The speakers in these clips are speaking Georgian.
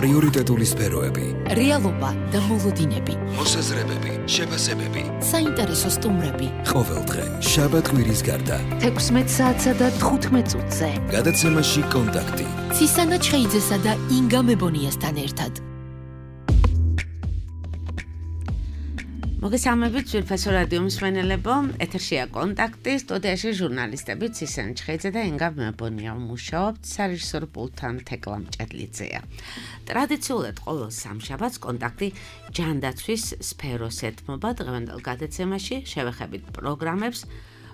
პრიორიტეტული სფეროები, რეალობა და მოლოდინები, მოსაზრებები, შეფასებები, საინტერესო სტუმრები. ყოველდღე, შაბათ-კვირის გარდა, 16 საათსა და 15 წუთზე. გადაცემაში კონტაქტი. ცისანა ჩხეიძესა და ინგა მებონიასთან ერთად. მოგესალმებით ძვირფასო რადიო მსმენელებო, ეთერშია კონტაქტი, სტუდიაში ჟურნალისტები ცისანა ჩხეიძე და ინგა მებონია მუშაობთ, სარეჟისორო პულტთან თეკლა მჭედლიძეა. ტრადიციულად ყოველ სამშაბათს კონტაქტი ჯანდაცვის სფეროს ეთმობა. დღევანდელ გადაცემაში შევეხებით პროგრამებს,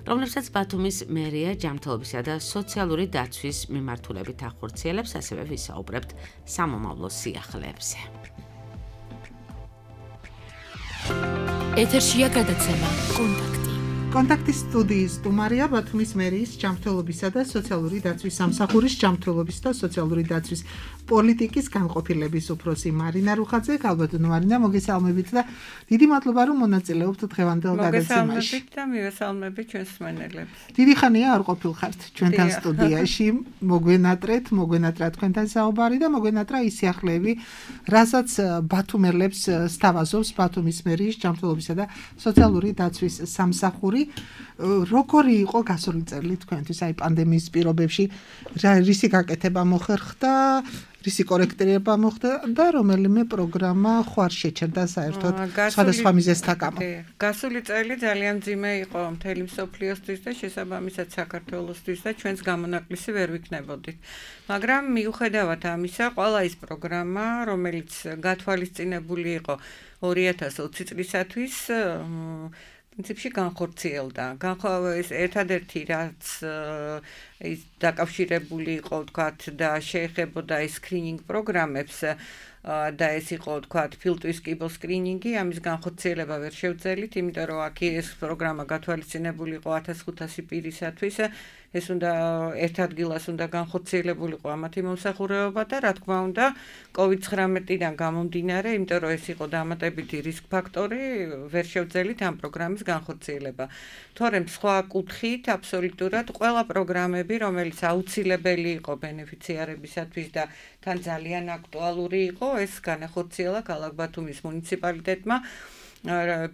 რომლებსაც ბათუმის მერია ჯანმრთელობისა და სოციალური დაცვის მიმართულებით ახორციელებს, ასევე ვისაუბრებთ სამომავლო სიახლეებზე. ეთერშია გადაცემა კონტაქტი. კონტაქტის სტუდიის სტუმარია ბათუმის მერიის ჯანმრთელობისა და სოციალური დაცვის სამსახურის ჯანმრთელობის და სოციალური დაცვის პოლიტიკის განყოფილების უფროსი მარინა რუხაძე. გალბატონო მარინა, მოგესალმებით და დიდი მადლობა რომ მონაწილეობთ დღევანდელ გადაცემაში. მოგესალმებით და მივესალმებით ჩვენს მსმენელებს. დიდი ხანია არ ყოფილხართ ჩვენთან სტუდიაში. მოგვენატრა თქვენთან საუბარი და მოგვენატრა ის სიახლეები, რასაც ბათუმელებს სთავაზობს ბათუმის მერიის ჯანმრთელობისა და სოციალური დაცვის სამსახური. როგორი იყო გასული წელი თქვენთვის, აი პანდემიის პირობებში, რისი გაკეთება მოხერხდა, რისი კორექტირება მოხდა და რომელიმე პროგრამა ხო არ შეჩერდა საერთოდ სხვადასხვა მიზეზთა გამო. გასული წელი ძალიან მძიმე იყო მთელი მსოფლიოსთვის და შესაბამისად საქართველოსთვის და ჩვენს გამონაკლისი ვერ ვიქნებოდით. მაგრამ მიუხედავად ამისა, ყველა ის პროგრამა, რომელიც გათვალისწინებული იყო 2020 წლისათვის, პრინციპში განხორციელდა. ეს ერთადერთი რაც ის დაკავშირებული იყო, ვთქვათ, და შეეხებოდა ეს სკრინინგ პროგრამებს და ეს იყო, ვთქვათ, ფილტვის კიბოს სკრინინგი, ამის განხორციელება ვერ შევძელით, იმიტომ რომ აქ ეს პროგრამა გათვალისწინებული იყო 1500 პირისათვის. ეს უნდა ერთ ადგილას უნდა განხორციელებულიყო ამათი მომსახურება და რა თქმა უნდა COVID-19-დან გამომდინარე, იმიტომ რომ ეს იყო დამატებითი რისკ ფაქტორი, ვერ შევძელით ამ პროგრამის განხორციელება. თორემ სხვა კუთხით აბსოლუტურად ყველა პროგრამები, რომელიც აუცილებელი იყო ბენეფიციარებისათვის და თან ძალიან აქტუალური იყო, ეს განახორციელა ქალაქ ბათუმის მუნიციპალიტეტმა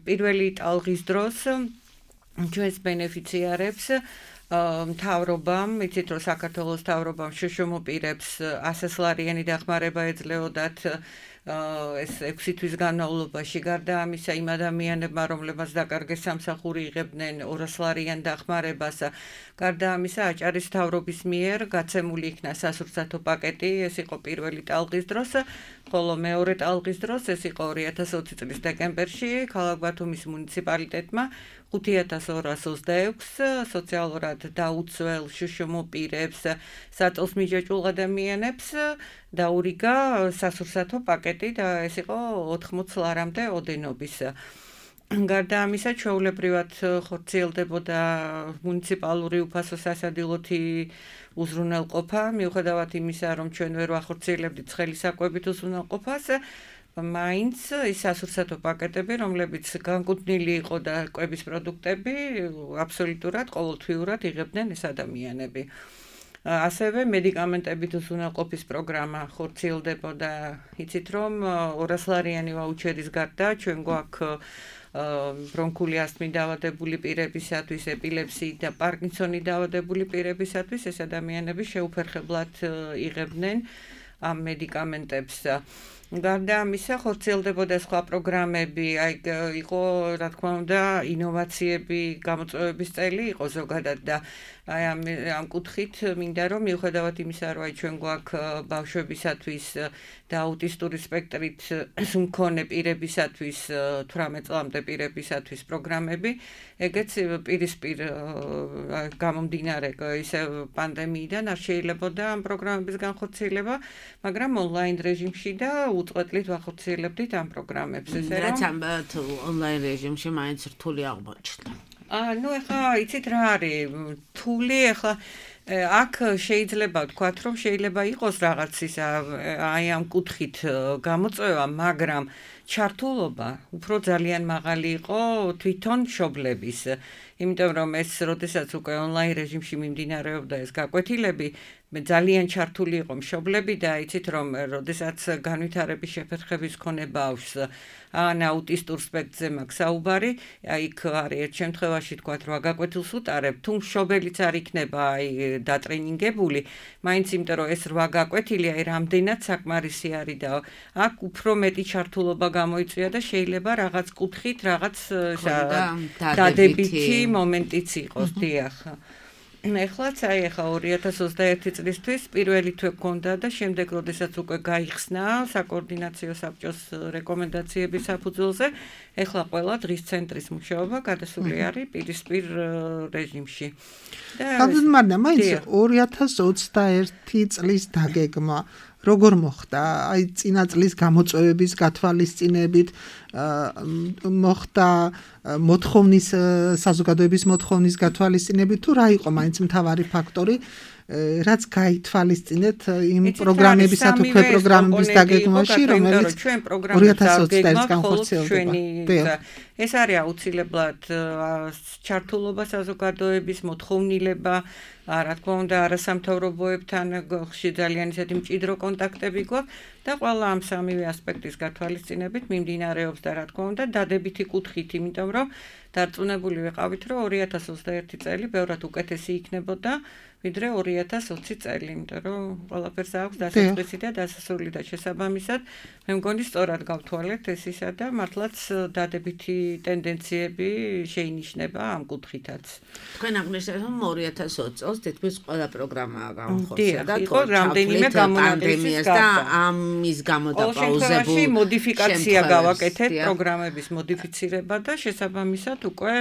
პირველი ტალღის დროს ჩვენს ბენეფიციარებს მთავრობამ, იცით რომ საქართველოს მთავრობამ შშმ-პირებს 100 ლარიანი დახმარება ეძლეოდათ ეს 6 თვის განმავლობაში. გარდა ამისა, იმ ადამიანებმა, რომლებმაც დაკარგეს სამსახური, იღებდნენ 200 ლარიან დახმარებას. გარდა ამისა, აჭარის მთავრობის მიერ გაცემული იქნა სასურსათო პაკეტი, ეს იყო პირველი ტალღის დროს, ხოლო მეორე ტალღის დროს, ეს იყო 2020 წლის დეკემბერში, ქალაქ ბათუმის მუნიციპალიტეტმა 5226 სოციალურად დაუცველ შშმ-პირებს, საწოლს მიჯაჭვულ ადამიანებს დაურიგა სასურსათო პაკეტი და ეს იყო 80 ლარამდე ოდენობის. გარდა ამისა, ჩვეულებრივად ხორციელდებოდა მუნიციპალური უფასო სასადილოთი უზრუნველყოფა, მიუხედავად იმისა, რომ ჩვენ ვერ ვახორციელებდით ცხელი საკვებით უზრუნველყოფას, მაინც ის სასურსათო პაკეტები, რომლებიც განკუთვნილი იყო და კვების პროდუქტები, აბსოლუტურად ყოველთვიურად იღებდნენ ეს ადამიანები. ასევე მედიკამენტებით უზრუნველყოფის პროგრამა ხორციელდებოდა. იცით რომ 200 ლარიანი ვაუჩერის გარდა ჩვენ გვაქვს ბრონქული ასთმით დაავადებული პირებისათვის, ეპილეფსიით და პარკინსონით დაავადებული პირებისათვის ეს ადამიანები შეუფერხებლად იღებდნენ ამ მედიკამენტებს. გარდა ამისა, ხორციელდებოდა სხვა პროგრამები, აი იყო, რა თქმა უნდა, ინოვაციები, გამოწვევების წელი იყო ზოგადად და აი ამ კუთხით მინდა რომ მიუხედავად იმისა, რომ აი ჩვენ გვაქვს ბავშვებისათვის და აუტისტური სპექტრით მქონე პირებისათვის 18 წლამდე პირებისათვის პროგრამები, ეგეც პირისპირ გამომდინარე ისე პანდემიიდან არ შეიძლებოდა ამ პროგრამების განხორციელება, მაგრამ ონლაინ რეჟიმში და უწყვეტლით ვახორციელებდით ამ პროგრამებს. რაც ონლაინ რეჟიმში მაინც რთული აღმოჩნდა. ნუ ეხლა იცით რა არის რთული, ეხლა აქ შეიძლება ვთქვათ, რომ შეიძლება იყოს რაღაც ის აი ამ კუთხით გამოწვევა, მაგრამ ჩართულობა უფრო ძალიან მაღალი იყო თვითონ მშობლების. იმიტომ რომ ეს როდესაც უკვე ონლაინ რეჟიმში მიმდინარეობდა ეს გაკვეთილები, მე ძალიან ჩართული იყო მშობლები და იცით რომ როდესაც განვითარების შეფერხების მქონე ბავშვს ან აუტისტურ სპექტრზე მაქვს საუბარი, იქ არის ერთ შემთხვევაში თქვა რომ გაკვეთილს უტარებ, თუ მშობელიც არ იქნება დატრენინგებული, მაინც იმიტომ რომ ეს 8 გაკვეთილი რამდენად საკმარისი არის და აქ უფრო მეტი ჩართულობა გამოიწვია და შეიძლება რაღაც კუთხით რაღაც დადებითი მომენტიც იყოს, დიახ. ეხლაც ახლა 2021 წლისთვის პირველი თვე გქონდა და შემდეგ როდესაც უკვე გაიხსნა საკოორდინაციო საბჭოს რეკომენდაციების საფუძველზე, ეხლა ყველა დღის ცენტრის მუშაობა გადასული არის პირისპირ რეჟიმში. მაგრამ მაინც 2021 წლის დაგეგმა როგორ მოხდა? აი წინა წლის გამოწვევების გათვალისწინებით მოხდა მოთხოვნის საზოგადოების მოთხოვნის გათვალისწინებით თუ რა იყო მაინც მთავარი ფაქტორი რაც გაითვალისწინეთ იმ პროგრამებისა თუ პროგრამების დაგეგმვაში რომელიც 2021 განხორციელდება. ეს არის აუცილებლად ჩართულობა საზოგადოების მოთხოვნილება, რა თქმა უნდა არასამთავრობოებთან ხშირ ძალიან ისეთი მჭიდრო კონტაქტები გვაქვს და ყველა ამ სამივე ასპექტის გათვალისწინებით მიმდინარეობს და რა თქმა უნდა დადებითი კუთხით, იმიტომ რომ დარწმუნებული ვიყავით რომ 2021 წელი ბევრად უკეთესი იქნებოდა ვიდრე 2020 წელი, იმიტომ რომ ყველაფერს აქვს დასაწყისი და დასასრული და შესაბამისად მე მგონი სწორად გავთვალეთ ეს ისა და მართლაც დადებითი ტენდენციები შეინიშნება ამ კუთხითაც. თქვენ აღნიშნეთ რომ 2020 წელს თითქმის ყველა პროგრამაა გამხორციელდა და იყო რამდენიმე გამონაკლისის და ამის გამო დაპაუზებულ მოდიფიკაცია გავაკეთეთ პროგრამების მოდიფიცირება და შესაბამისად უკვე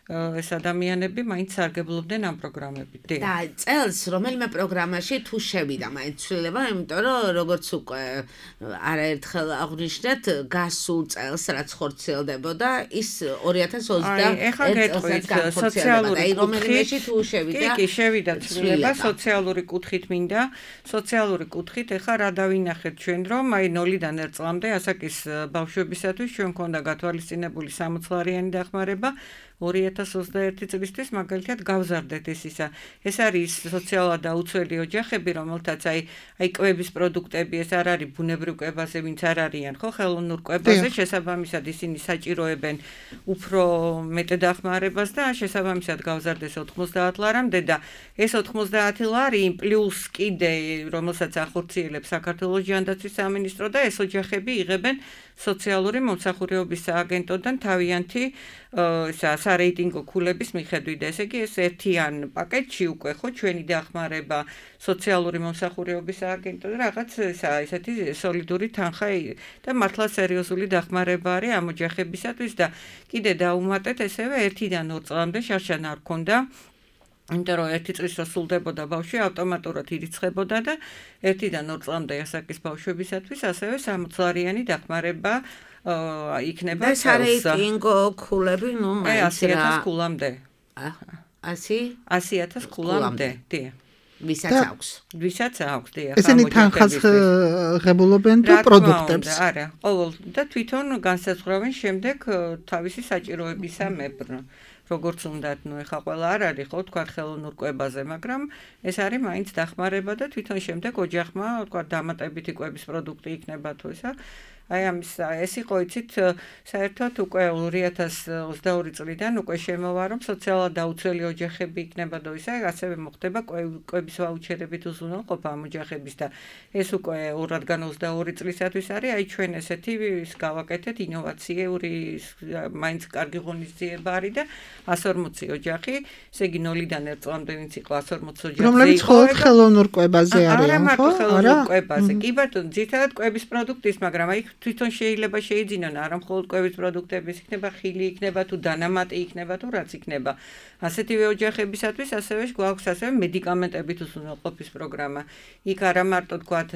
ეს ადამიანები მაინც სარგებლობდნენ ამ პროგრამებით. და წელს რომელიმე პროგრამაში თუ შევიდა მაინც ცვლილება, იმიტომ რომ როგორც უკვე არაერთხელ აღნიშნეთ, გასულ წელს რაც ხორციელდებოდა, ის 2021 წელს სოციალური რომელიმეში თუ შევიდა. კი, შევიდა ცვლილება სოციალური კუთხით მინდა. სოციალური კუთხით ეხა რა დავინახეთ ჩვენ რომ აი 0-დან 1 წლამდე ასაკის ბავშვებისათვის ჩვენ მქონდა გათვალისწინებული 60 ლარიანი დახმარება 2021 წლისთვის მაგალითად გავზარდეთ ეს ისა. ეს არის სოციალურად დაუცველი ოჯახები, რომელთაც აი კვების პროდუქტები, ეს არ არის ბუნებრივ კვებაზე, ვინც არ არიან, ხო, ხელოვნურ კვებაზე, შესაბამისად ისინი საჭიროებენ უფრო მეტ დახმარებას და შესაბამისად გავზარდეს 90 ლარამდე და ეს 90 ლარი პლუს კიდე, რომელსაც ახორციელებს საქართველოს ჯანდაცვის სამინისტრო და ეს ოჯახები იღებენ სოციალური მომსახურეობის სააგენტოდან თავიანთი სარეიტინგო ქულების მიხედვით. ესე იგი ეს ერთიან პაკეტში უკვე ხო ჩვენი დახმარება სოციალური მომსახურეობის სააგენტო და რაღაც ესეთი სოლიდური თანხა და მართლა სერიოზული დახმარება არის ამ ოჯახებისათვის და კიდე დაუმატეთ ესევე 1-დან 2 წლამდე შარშან არ ქონდა. იმიტომ რომ 1 წლის რო სრულდებოდა ბავშვი ავტომატურად ირიცხებოდა და 1-დან 2 წლამდე ასაკის ბავშვებისათვის ასევე 60 ლარიანი დახმარება იქნება და სარეიტინგო ქულები, ნუ მაინც 100.000 ქულამდე. 100.000 ქულამდე, დიახ. ვისაც აქვს. ვისაც აქვს, დიახ. ესენი თანხას ღებულობენ თუ პროდუქტებს? არა, ყოველ და თვითონ განსაზღვრავენ შემდეგ თავისი საჭიროებისა მებრ. როგორც უნდათ, ნუ ეხა ყველა არ არის ხო თქვა ხელოვნურ კვებაზე, მაგრამ ეს არის მაინც დახმარება და თვითონ შემდეგ ოჯახმა თქვა დამატებითი კვების პროდუქტი იქნება თუ ისა. აი ამის ეს იყო იცით საერთოდ უკვე 2022 წლიდან უკვე შემოვა რომ სოციალურად დაუცველი ოჯახები იქნება და ისა ასევე მოხდება კვების ვაუჩერებით უზრუნველყოფა ამ ოჯახების და ეს უკვე 2022 წლისათვის არის აი ჩვენ ესეთი გავაკეთეთ ინოვაციური მაინც კარგი ღონისძიება არის და 140 ოჯახი, ესე იგი 0-დან 1 წლამდე ვინც იყო 140 ოჯახი. რომლებიც მხოლოდ ხელოვნურ კვებაზე არიან, ხო? არა მარტო ხელოვნურ კვებაზე. კი ბატონო, ძირითადად კვების პროდუქტის, მაგრამ აი თვითონ შეიძლება შეიძინონ არა მხოლოდ კვების პროდუქტების, იქნება ხილი, იქნება თუ დანამატი, იქნება თუ რაც იქნება. ასეთივე ოჯახებისათვის ასევე გვაქვს ასევე მედიკამენტებით უზრუნველყოფის პროგრამა. იქ არა მარტო თქვათ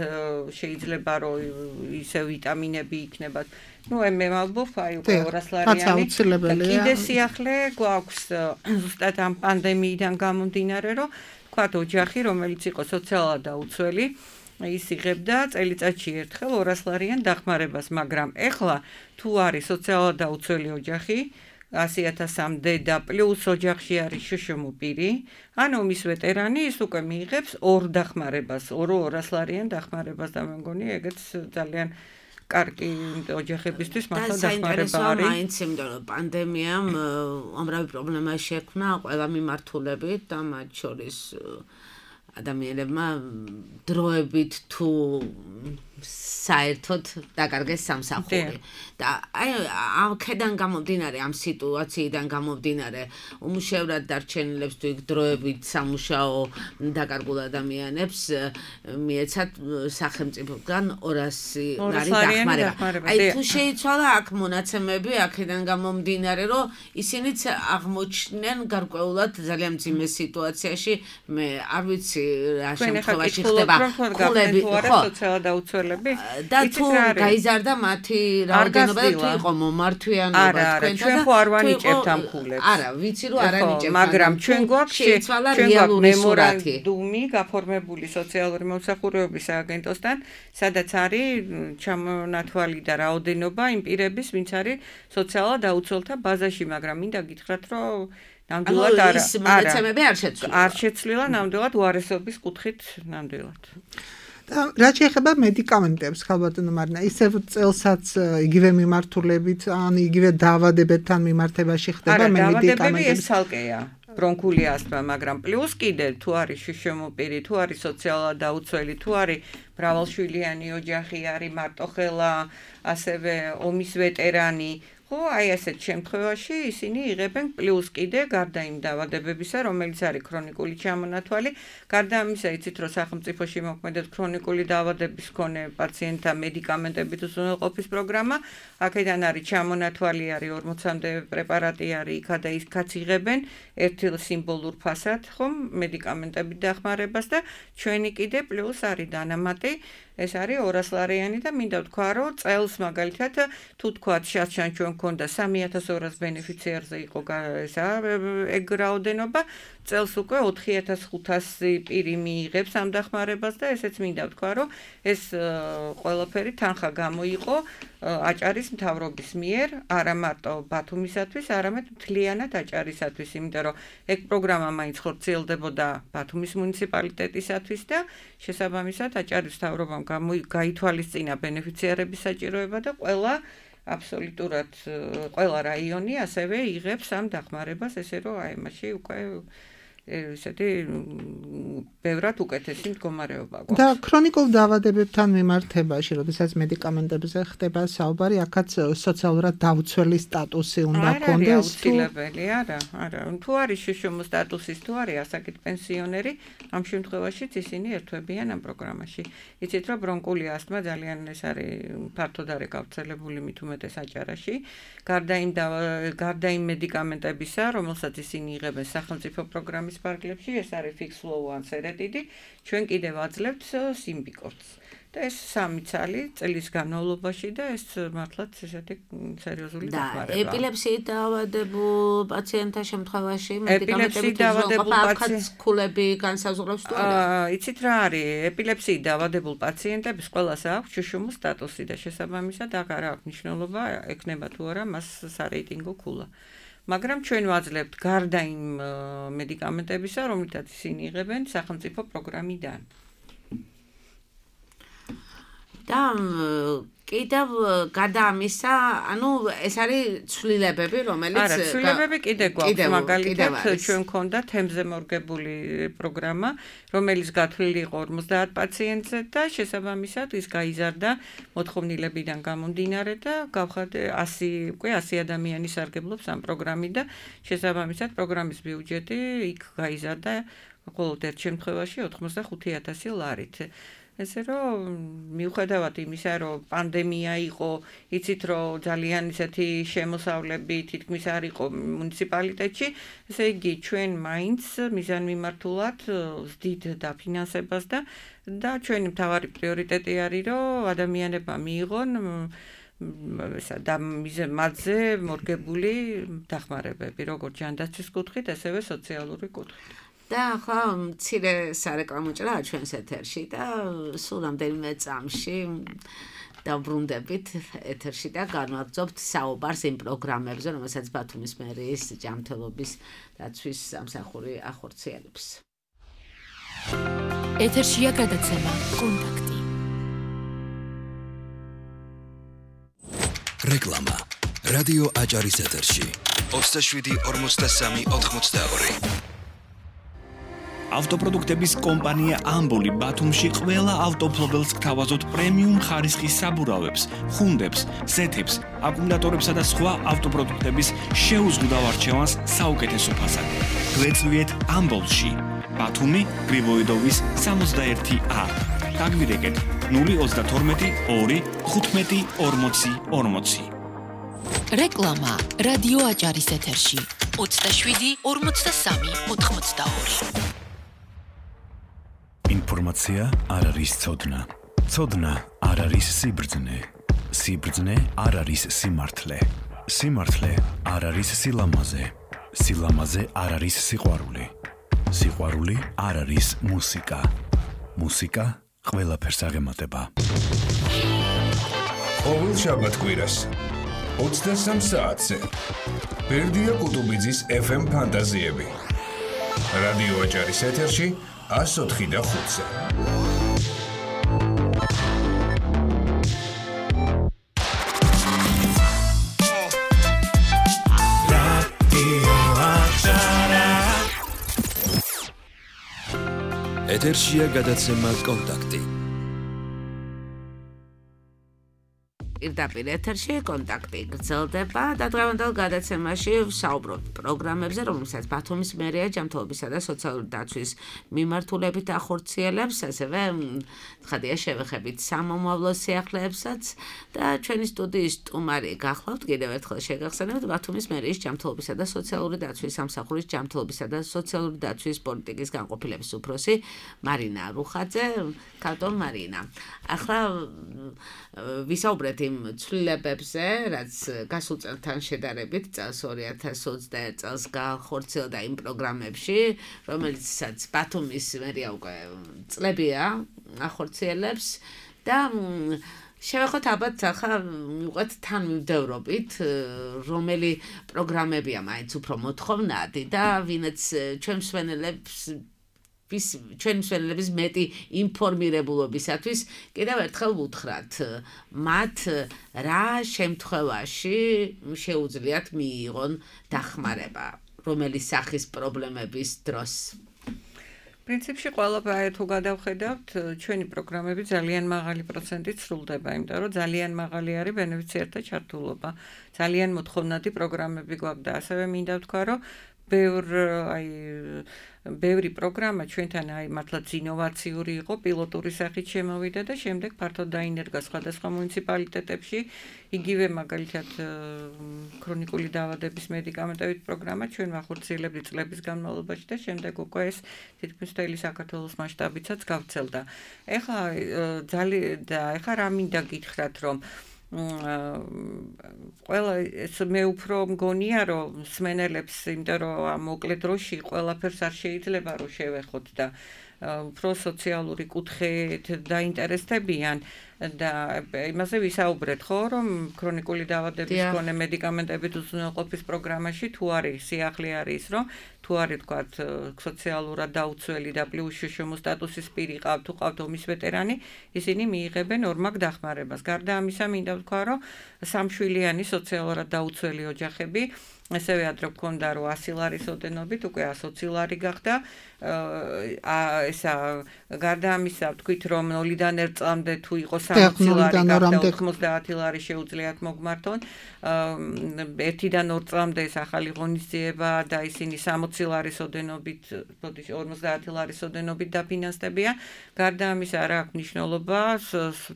შეიძლება რომ ისე ვიტამინები იქნება. ნუ მე მალბობ აი უკვე 200 ლარიანი. კიდე სიახლე გვაქვს ზუსტად ამ პანდემიიდან გამომდინარე რომ თქვათ ოჯახი რომელიც იყო სოციალურად დაუცველი ის იღებდა წელიწადში ერთხელ 200 ლარიან დახმარებას, მაგრამ ეხლა თუ არის სოციალურად დაუცველი ოჯახი 100,000-მდე და პლუს ოჯახში არის შუშუმუ პირი, ანუ მის ვეტერანი ის უკვე მიიღებს ორ დახმარებას, 200 ლარიან დახმარებას და მე მგონი ეგეც ძალიან კარგი ოჯახებისთვის მართლა დახმარება არის. მაინც იმიტომ რომ პანდემიამ ამრავი პრობლემა შექმნა ყველა მიმართულებით და მათ შორის ადამიანებმა დროებით თუ საერთოდ დაკარგეს სამსახური და აი ამ ქედან გამომდინარე ამ სიტუაციიდან გამომდინარე უმუშევრად დარჩენილებს თუ იქ დროებით სამუშაო დაკარგულ ადამიანებს მიეცათ სახელმწიფოდან 200 ლარი დახმარება. აი თუ შეიცვალა აქ მონაცემები აქედან გამომდინარე რომ ისინიც აღმოჩნდნენ გარკვეულად ძალიან მძიმე სიტუაციაში მე არ ვიცი რა შემთხვევაში ხდება ხულები ხო სოციალურად დაუცველები და თუ გაიზარდა მათი რაოდენობა და თუ იყო მომართვიანობა თქვენთან და არ ვანიჭებთ ამ ხულებს. არა, ვიცი რომ არ ანიჭებთ, მაგრამ ჩვენ გვაქვს შეიცვალა რეალური სურათი. დუმი გაფორმებული სოციალური მომსახურებების სააგენტოსთან, სადაც არის ჩამონათვალი და რაოდენობა იმ პირების, ვინც არის სოციალურად დაუცველთა ბაზაში, მაგრამ მინდა გითხრათ, რომ ნამდვილად არ შეცვლილა ნამდვილად უარესობის კუთხით ნამდვილად. რა შეიძლება მედიკამენტებს ხალბატონო მარინა ისევ წელსაც იგივე მიმართულებით ან იგივე დაავადებებთან მიმართებაში ხდება მედიკამენტები ეს ცალკეა ბრონქული ასთმა მაგრამ პლუს კიდე თუ არის შუშუმუ პირი თუ არის სოციალურად დაუცველი თუ არის მრავალშვილიანი ოჯახი არის მარტოხელა ასევე ომის ვეტერანი აი ასეთ შემთხვევაში ისინი იღებენ პლუს კიდე გარდა იმ დაავადებებისა, რომელიც არის ქრონიკული ჩამონათვალი, გარდა ამისა იცით რომ სახელმწიფოში მოქმედებს ქრონიკული დაავადების მქონე პაციენტთა მედიკამენტებით უზრუნველყოფის პროგრამა, აქედან არის ჩამონათვალი, არის 40-მდე პრეპარატი არის, იქა და იქაც იღებენ ერთი სიმბოლურ ფასად, ხომ, მედიკამენტებით დახმარებას და ჩვენი კიდე პლუს არის დანამატი ეს არის 200 ლარიანი და მინდა ვთქვა რომ წელს მაგალითად თუ თქვათ შარშან ჩვენ გქონდა 3200 ბენეფიციარზე იყო ესა ეგ რაოდენობა წელს უკვე 4500 პირი მიიღებს ამ დახმარებას და ესეც მინდა ვთქვა რომ ეს ყველაფერი თანხა გამოიყო აჭარის მთავრობის მიერ არა მარტო ბათუმისათვის არამედ მთლიანად აჭარისათვის იმიტომ რომ ეგ პროგრამა მაინც ხორციელდებოდა ბათუმის მუნიციპალიტეტისათვის და შესაბამისად აჭარის მთავრობამ გაითვალისწინა ბენეფიციარების საჭიროება და ყველა აბსოლუტურად ყველა რაიონი ასევე იღებს ამ დახმარებას ესე რომ აი მაშინ უკვე ესეთი ბევრად უკეთესი მდგომარეობა გვაქვს. და ქრონიკულ დაავადებებთან მიმართებაში, როდესაც მედიკამენტებზე ხდება საუბარი, აქაც სოციალურად დაუცველი სტატუსი უნდა ქონდეს. აუცილებელი, არა. თუ არის შუშუმუ სტატუსის, თუ არის ასაკით პენსიონერი, ამ შემთხვევაშიც ისინი ერთვებიან ამ პროგრამაში. იცით რომ ბრონქული ასთმა ძალიან ეს არის ფართოდ არის გავრცელებული მით უმეტეს აჭარაში. გარდა იმ მედიკამენტებისა, რომელსაც ისინი იღებენ სახელმწიფო პროგრამის პარკლებში ეს არის fix flow ან სერეტიდი ჩვენ კიდევ აძლევთ სიმბიკორტს და ეს 3 წელი წლის განმავლობაში და ეს მართლაც ესეთი სერიოზული დახმარება. ეპილეფსიით დაავადებულ პაციენტთა შემთხვევაში მედიკამენტებით უზრუნველყოფის ქულები განსაზღვრავს თუ არა? იცით რა არის? ეპილეფსიით დაავადებულ პაციენტებს ყველას აქვს შუშუმუ სტატუსი და შესაბამისად აღარ აქვს მნიშვნელობა ექნება თუ არა მას სარეიტინგო ქულა. მაგრამ ჩვენ ვაძლევთ გარდა იმ მედიკამენტებისა, რომლითაც ისინი იღებენ სახელმწიფო პროგრამიდან. და კიდევ გარდა ამისა, ანუ ეს არის ცვლილებები, რომელიც არა, ცვლილებები კიდე გვაქვს, მაგალითად ჩვენ მქონდა თემზე მორგებული პროგრამა, რომელიც გათვლილი იყო 50 პაციენტზე და შესაბამისად ის გაიზარდა მოთხოვნილებიდან გამომდინარე და გავხადე 100 ადამიანი სარგებლობს ამ პროგრამით და შესაბამისად პროგრამის ბიუჯეტი იქ გაიზარდა მხოლოდ ერთ შემთხვევაში 85,000 ლარით. ესე რომ მიუხედავად იმისა, რომ პანდემია იყო, იცით რომ ძალიან ისეთი შემოსავლები თითქმის არ იყო მუნიციპალიტეტში, ესე იგი ჩვენ მაინც მიზანმიმართულად ვზდით დაფინანსებას და ჩვენი მთავარი პრიორიტეტი არის, რომ ადამიანებმა მიიღონ და მათზე მორგებული დახმარებები, როგორც ჯანდაცვის კუთხით, ასევე სოციალური კუთხით. და ახლა მცირე სარეკლამო ჭრაა ჩვენს ეთერში და სულ რამდენიმე წამში დაბრუნდებით ეთერში და განვაგრძობთ საუბარს იმ პროგრამებზე, რომელსაც ბათუმის მერიის ჯანმრთელობის დაცვის სამსახური ახორციელებს. ეთერშია გადაცემა კონტაქტი. რეკლამა. რადიო აჭარის ეთერში 27-43-82. ავტოპროდუქტების კომპანია ამბოლი ბათუმში ყველა ავტოფლობელს გთავაზობთ პრემიუმ ხარისხის საბურავებს, ხუნდებს, ზეთებს, აკუმულატორებსა და სხვა ავტოპროდუქტების შეუზღუდავ არჩევანს საუკეთესო ფასად. გვეწვიეთ ამბოლში, ბათუმი, გრიბოიდოვის 61A. დაგვირეკეთ 032 2 15 40 40. რეკლამა რადიო აჭარის ეთერში 27-43-82. ინფორმაცია არ არის ცოდნა. ცოდნა არ არის სიბრძნე. სიბრძნე არ არის სიმართლე. სიმართლე არ არის სილამაზე. სილამაზე არ არის სიყვარული. სიყვარული არ არის მუსიკა. მუსიკა ყველაფერს აღემატება. ყოველ შაბათ-კვირას 23 საათზე ბერდია კუტუბიძის FM ფანტაზიები. რადიო აჭარის ეთერში 104 და 5-ზე. ეთერშია გადაცემა კონტაქტი. პირდაპირ ეთერში კონტაქტი გრძელდება და დღევანდელ გადაცემაში ვსაუბრობთ პროგრამებზე, რომელსაც ბათუმის მერია ჯანმრთელობისა და სოციალური დაცვის მიმართულებით ახორციელებს, ასევე ცხადია შევეხებით სამომავლო სიახლეებსაც და ჩვენი სტუდიის სტუმარი გახლავთ. კიდევ ერთხელ შეგახსენებთ ბათუმის მერიის ჯანმრთელობისა და სოციალური დაცვის სამსახურის ჯანმრთელობისა და სოციალური დაცვის პოლიტიკის განყოფილების უფროსი მარინა რუხაძე. კანტონ მარინა. ახლა ვისაუბრეთ იმ ცვლილებებზე, რაც გასულ წელთან შედარებით წელს 2021 წელს განხორციელდა იმ პროგრამებში, რომელიცაც ბათუმის მერია უკვე წლებია ახორციელებს და შევეხოთ ალბათ ახლა მივყვეთ თანმიმდევრობით, რომელი პროგრამებია მაინც უფრო მოთხოვნადი და ვინაც ჩვენ მსმენელების მეტი ინფორმირებულობისათვის კიდევ ერთხელ ვუთხრათ მათ რა შემთხვევაში შეუძლიათ მიიღონ დახმარება, რომელი სახის პრობლემების დროს. პრინციპში ყველაფერი თუ გადავხედავთ, ჩვენი პროგრამები ძალიან მაღალი პროცენტით სრულდება, იმიტომ რომ ძალიან მაღალი არის ბენეფიციართა ჩართულობა. ძალიან მოთხოვნადი პროგრამები გვაქვს და ასევე მინდა ვთქვა, რომ ბევრი პროგრამა ჩვენთან მართლაც ინოვაციური იყო, პილოტური სახით შემოვიდა და შემდეგ ფართოდ დაინერგა სხვადასხვა მუნიციპალიტეტებში. იგივე მაგალითად ქრონიკული დაავადების მედიკამენტებით პროგრამა ჩვენ ვახორციელებდით წლების განმავლობაში და შემდეგ უკვე ეს თითქმის მთელი საქართველოს მასშტაბითაც გავრცელდა. ეხლა რა მინდა გითხრათ, რომ ყველა მე უფრო მგონია, რომ მსმენელებს, იმიტომ რომ მოკლე დროში ყველაფერს არ შეიძლება რომ შევეხოთ და უფრო სოციალური კუთხით დაინტერესდებიან და იმაზე ვისაუბრეთ, ხო, რომ ქრონიკული დაავადების მქონე მედიკამენტებით უზრუნველყოფის პროგრამაში თუ არის სიახლე არის, რომ თუ არის თქვათ სოციალურად დაუცველი და პლუს შშმ სტატუსის პირი ყავთ, თუ ყავთ ომის ვეტერანი, ისინი მიიღებენ ორმაგ დახმარებას. გარდა ამისა, მინდა ვთქვა, რომ სამშვილიანი სოციალურად დაუცველი ოჯახები ასევე ადრე გქონდა, რომ 100 ლარის ოდენობით უკვე 120 ლარი გახდა. ესა გარდა ამისა, ვთქვით, რომ 0-დან 1 წლამდე თუ იყო 60 ლარი გახდა 90 ლარი შეუძლიათ მოგმართონ. 1-დან 2 წლამდე ეს ახალი ღონისძიება და ისინი 60 ლარის ოდენობით, 50 ლარის ოდენობით დაფინანსდებიან. გარდა ამისა, რა აქვს მნიშვნელობა,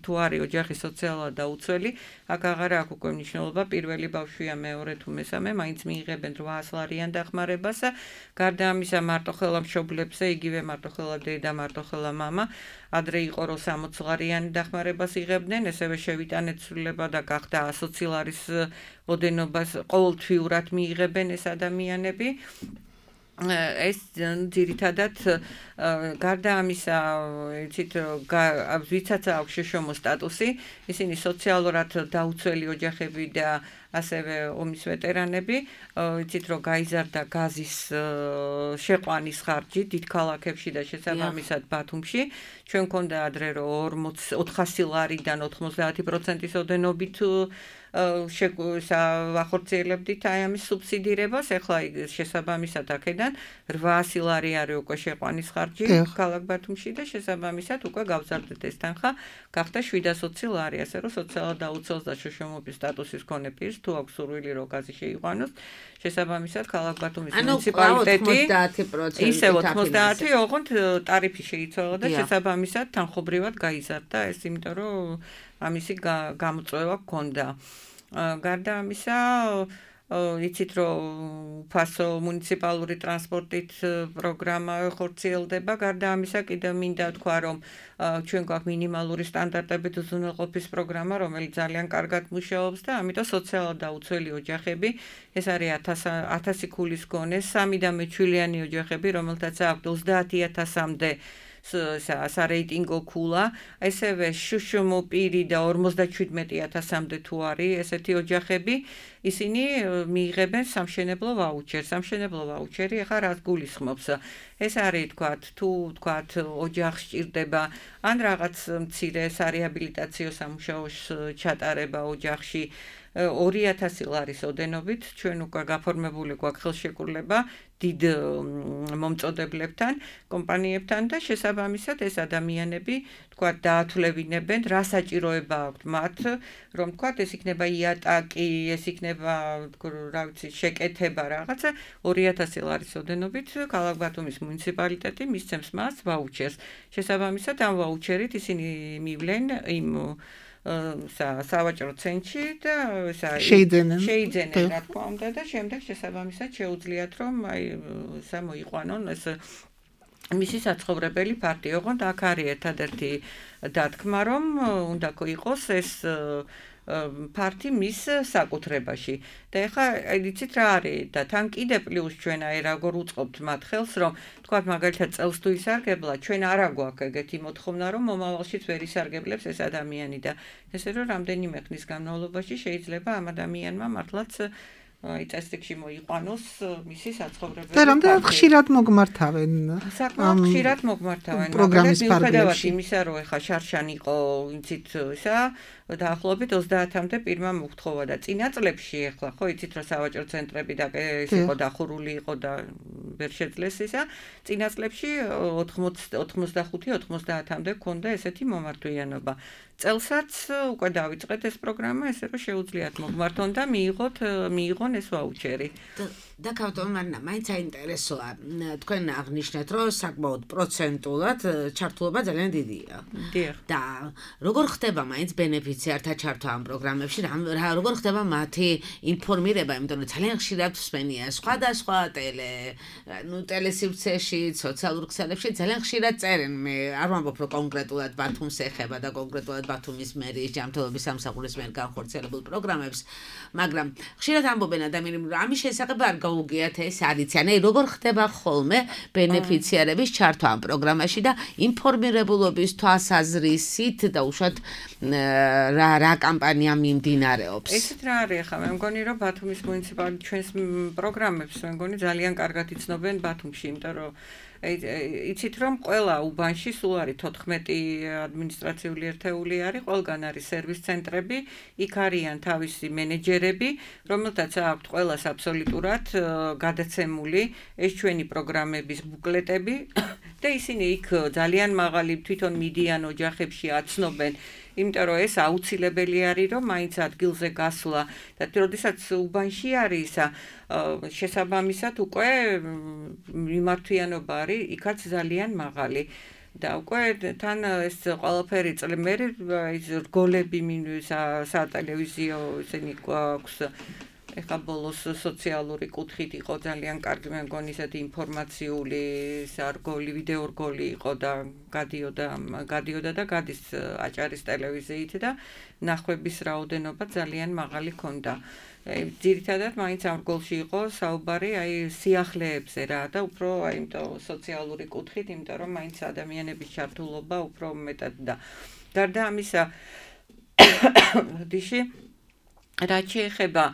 თუ არის ოჯახი სოციალურად დაუცველი, აქ აღარ აქვს უკვე მნიშვნელობა, პირველი ბავშვია, მეორე თუ მესამე, მაინც მიიღებენ 800 ლარიან დახმარებას. გარდა ამისა, მარტოხელა მშობლებზე, იგივე მარტოხელა დედა, მარტოხელა მამა, ადრე იყო რომ 60 ლარიანი დახმარებას იღებდნენ, ესევე შევიტანეთ ცვლილება და გახდა 120 ლარის ოდენობას ყოველთვიურად მიიღებენ ეს ადამიანები. ეს ძირითადად გარდა ამისა, იცით, ვიცაც აქვს შეშომო სტატუსი, ისინი სოციალურად დაუცველი ოჯახები და ასევე ომის ვეტერანები, იცით, რომ გაიზარდა გაზის შეყვანის ხარჯი დიდ ქალაქებში და შესაბამისად ბათუმში. ჩვენ მქონდა ადრე რომ 400 ლარიდან 90%-ის ოდენობით ვახორციელებდით აი ამის სუბსიდირებას, ეხლა შესაბამისად აქედან 800 ლარი არის უკვე შეყვანის ხარჯი ქალაქ ბათუმში და შესაბამისად უკვე გავზარდეთ ეს თანხა, გახდა 720 ლარი, ასე რომ სოციალურად დაუცველს და შოშომობის სტატუსის მქონე პირს თუ აქვს სურვილი რომ გაზი შეიყვანოს, შესაბამისად ქალაქ ბათუმის მუნიციპალიტეტი ისევ 90 ოღონდ ტარიფი შეიცვალა და შესაბამისად თანხობრივად გაიზარდა ეს, იმიტომ რომ ამისი გამოწვევა გქონდა. გარდა ამისა, იცით რომ უფასო მუნიციპალური ტრანსპორტით პროგრამა ხორციელდება, გარდა ამისა კიდევ მინდა თქვა რომ ჩვენ გვაქვს მინიმალური სტანდარტებით უზრუნველყოფის პროგრამა, რომელიც ძალიან კარგად მუშაობს და ამიტომ სოციალურად დაუცველი ოჯახები, ეს არის 1000 ქულის გონე, 3 და მეჩვილიანი ოჯახები, რომელთაც აქვთ 30,000-მდე სარეიტინგო ქულა, ასევე შუშუმო პირი და 57,000-მდე თუ არის ესეთი ოჯახები, ისინი მიიღებენ სამშენებლო ვაუჩერს. სამშენებლო ვაუჩერი ახლა რას გულისხმობს? ეს არის თქვათ ოჯახს სჭირდება ან რაღაც მცირე სარეაბილიტაციო სამუშაოს ჩატარება ოჯახში 2000 ლარის ოდენობით, ჩვენ უკვე გაფორმებული გვაქვს ხელშეკრულება დიდ მომწოდებლებთან, კომპანიებთან და შესაბამისად ეს ადამიანები თქვათ დაათვლებინებენ, რა საჭიროება აქვთ მათ, რომ თქვათ ეს იქნება იატაკი, ეს იქნება რა ვიცი, შეკეთება რაღაცა 2000 ლარის ოდენობით ქალაქ ბათუმის მუნიციპალიტეტი მისცემს მას ვაუჩერს. შესაბამისად ამ ვაუჩერით ისინი მივლენ იმ სავაჭრო ცენტრში და შეიძენენ რა თქმა უნდა და შემდეგ შესაბამისად შეუძლიათ რომ აი მოიყვანონ ეს მისი საცხოვრებელი პარტი. ოღონდ აქ არის ერთადერთი დათქმა რომ უნდა იყოს ეს პარტი მის საკუთრებაში. და ეხლა იცით რა არის და თან კიდე პლუს ჩვენ აი როგორ უწყობთ მათ ხელს რომ თქვათ მაგალითად წელს თუ ისარგებლა, ჩვენ არა გვაქვს ეგეთი მოთხოვნა რომ მომავალშიც ვერ ისარგებლებს ეს ადამიანი და ესე რომ რამდენიმე ხნის განმავლობაში შეიძლება ამ ადამიანმა მართლაც წესრიგში მოიყვანოს მისი საცხოვრებელი. და რამდენად ხშირად mogmartaven? საკმაოდ ხშირად mogmartaven. პროგრამის ფარგლებში. იმისა რომ ეხა შარშან იყო იცით ისა დაახლოებით 30-მდე პირმა მოთხოვა და წინა წლებში ეხლა ხო იცით რომ სავაჭრო ცენტრები და ეს იყო დახურული იყო და ვერ შეძლეს ისა წინა წლებში 85-90-მდე ქონდა ესეთი მომართვიანობა. წელსაც უკვე დავიწყეთ ეს პროგრამა, ესე რომ შეუძლიათ mogmarton და მიიღონ ეს ვაუჩერი. და ქავტომ მარნა, მაინც აინტერესოა. თქვენ აღნიშნეთ, რომ საკმაოდ პროცენტულად ჩართულობა ძალიან დიდია. და როგორ ხდება მაინც ბენეფიციართა ჩართვა ამ პროგრამებში? როგორ ხდება მათი ინფორმირება, იმიტომ რომ ძალიან ხშირად ვსმენია სხვადასხვა ტელესივრცეში, სოციალურ ქსელებში ძალიან ხშირად წერენ. მე არ ვამბობ, რომ კონკრეტულად ბათუმს ეხება და კონკრეტულად ბათუმის მერის ჯანმრთელობის სამსახურის მიერ განხორციელებულ პროგრამებს, მაგრამ ხშირად ამბობენ ადამიანები, რომ ამის შესახებ არ გაუგიათ ეს არიციან. როგორ ხდება ხოლმე ბენეფიციარების ჩართვა ამ პროგრამაში და ინფორმირებულობის თვალსაზრისით და უშუალოდ რა კამპანია მიმდინარეობს? ესეთ რა არის ახლა, მე მგონი რომ ბათუმის მუნიციპალიტეტი ჩვენს პროგრამებს მე მგონი ძალიან კარგად იცნობენ ბათუმში, იმიტომ რომ იცით რომ ყველა უბანში სულ არის 14 ადმინისტრაციული ერთეული არის, ყველგან არის სერვის ცენტრები, იქ არიან თავისი მენეჯერები, რომელთაც აქვთ ყველას აბსოლუტურად გადაცემული ეს ჩვენი პროგრამების ბუკლეტები და ისინი იქ ძალიან მაღალი თვითონ მიდიან ოჯახებში აცნობენ. იმიტომ რომ ეს აუცილებელი არის რომ მაინც ადგილზე გასვლა და როდესაც უბანში არის შესაბამისად უკვე მიმართვიანობა არის იქაც ძალიან მაღალი და უკვე თან ეს ყველაფერი წლმერი ის რგოლები სატელევიზიო ისინი გვაქვს ეხა ბოლოს სოციალური კუთხით იყო ძალიან კარგი, მე მგონი ისეთი ინფორმაციული სარგოლი, ვიდეორგოლი იყო და გადიოდა და გადის აჭარის ტელევიზიით და ნახვების რაოდენობა ძალიან მაღალი ჰქონდა. ძირითადად მაინც ამ რგოლში იყო საუბარი აი სიახლეებზე რა და უფრო აი იმიტომ სოციალური კუთხით, იმიტომ რომ მაინც ადამიანების ჩართულობა უფრო მეტად და გარდა ამისა დიში რაც შეეხება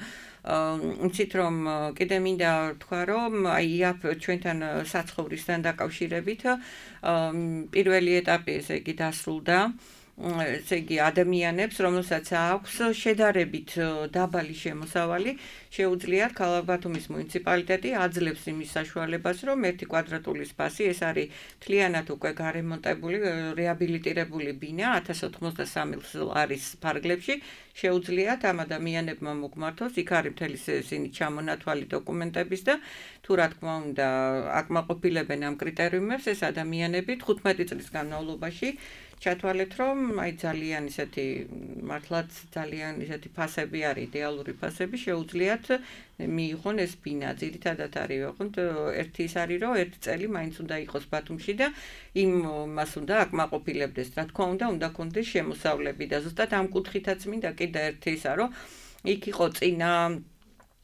იცით რომ კიდე მინდა თქვა რომ აი იაფ ჩვენთან საცხოვრისთან დაკავშირებით პირველი ეტაპი ესე იგი დასრულდა ესე იგი ადამიანებს რომელსაც აქვს შედარებით დაბალი შემოსავალი შეუძლიათ ქალაქ ბათუმის მუნიციპალიტეტი აძლევს იმის საშუალებას რომ 1 კვადრატული სპასი ეს არის მთლიანად უკვე გარემონტებული რეაბილიტირებული ბინა 1083 ლარის ფარგლებში შეუძლიათ ამ ადამიანებმა მოგმართოს იქ არის მთელი ისინი ჩამონათვალი დოკუმენტების და თუ რა თქმა უნდა აკმაყოფილებენ ამ კრიტერიუმებს ეს ადამიანები 15 წლის განმავლობაში ჩათვალეთ რომ აი ძალიან ისეთი მართლაც ძალიან ისეთი ფასები არის იდეალური ფასები შეუძლიათ მიიღონ ეს ბინა ძირითადად არის ვიყოთ ერთი ის არის რომ ერთი წელი მაინც უნდა იყოს ბათუმში და იმას უნდა აკმაყოფილებდეს რა თქმა უნდა კონდეს შემოსავლები და ზუსტად ამ კუთხითაც მინდა კიდე ერთი ისა რომ იქ იყო წინა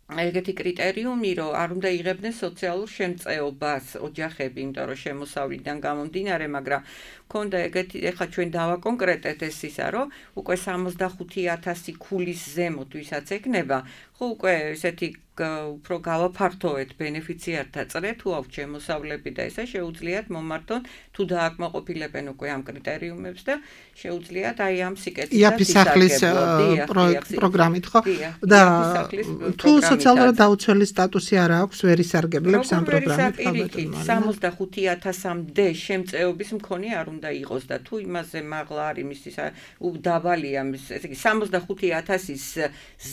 ეგეთი კრიტერიუმი რომ არ უნდა იღებდნენ სოციალურ შემწეობას ოჯახები იმიტომ რომ შემოსავლიდან გამომდინარე მაგრამ ქონდა ეგეთი ეხა ჩვენ დავაკონკრეტეთ ეს ისა რომ უკვე 65000 ქულის ზემოთ ვისაც ეკნება ხო უკვე ესეთი უფრო გავაფართოვეთ ბენეფიციართა წრე თუ აქვს შემოსავლები და ესა შეუძლიათ მომართონ თუ დააკმაყოფილებენ უკვე ამ კრიტერიუმებს და შეუძლიათ აი ამ სიკეთით ისახლის პროგრამით ხო და თუ სოციალურად დაუცველი სტატუსი არ აქვს ვერ ისარგებლებს ამ პროგრამით 65000-მდე შემწეობის მქონე არ უნდა იყოს და თუ იმაზე მაღლა არის მისი დაბალია ესე იგი 65000-ის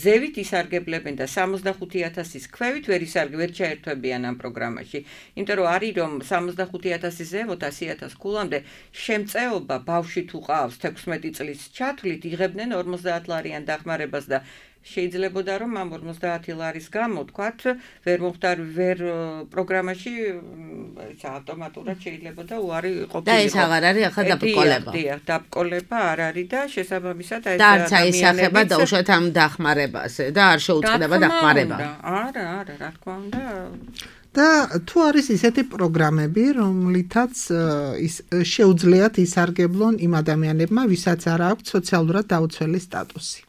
ზევით ისარგებლებენ და 65000-ის ქვევით ვერ ჩაერთვებიან ამ პროგრამაში. იმიტომ რომ არის რომ 65000-ის ზემოთ 100000 ქულამდე შემწეობა ბავშვი თუ ყავს 16 წლის ჩათვლით იღებდნენ 50 ლარიან დახმარებას და შეიძლებოდა რომ ამ 50 ლარის გამო თქვათ ვერ მოხდარ ვერ პროგრამაში ავტომატურად შეიძლებოდა უარი ყოფილიყო. და ეს აღარ არის ახლა დაბკოლება. დიახ, დაბკოლება არ არის და შესაბამისად აი ეს ადამიანები და უშუალოდ ამ დახმარებას და არ შეუწყდება დახმარება. არა, რა თქმა უნდა. და თუ არის ისეთი პროგრამები, რომლითაც შეუძლიათ ისარგებლონ იმ ადამიანებმა, ვისაც არ აქვს სოციალურად დაუცველი სტატუსი.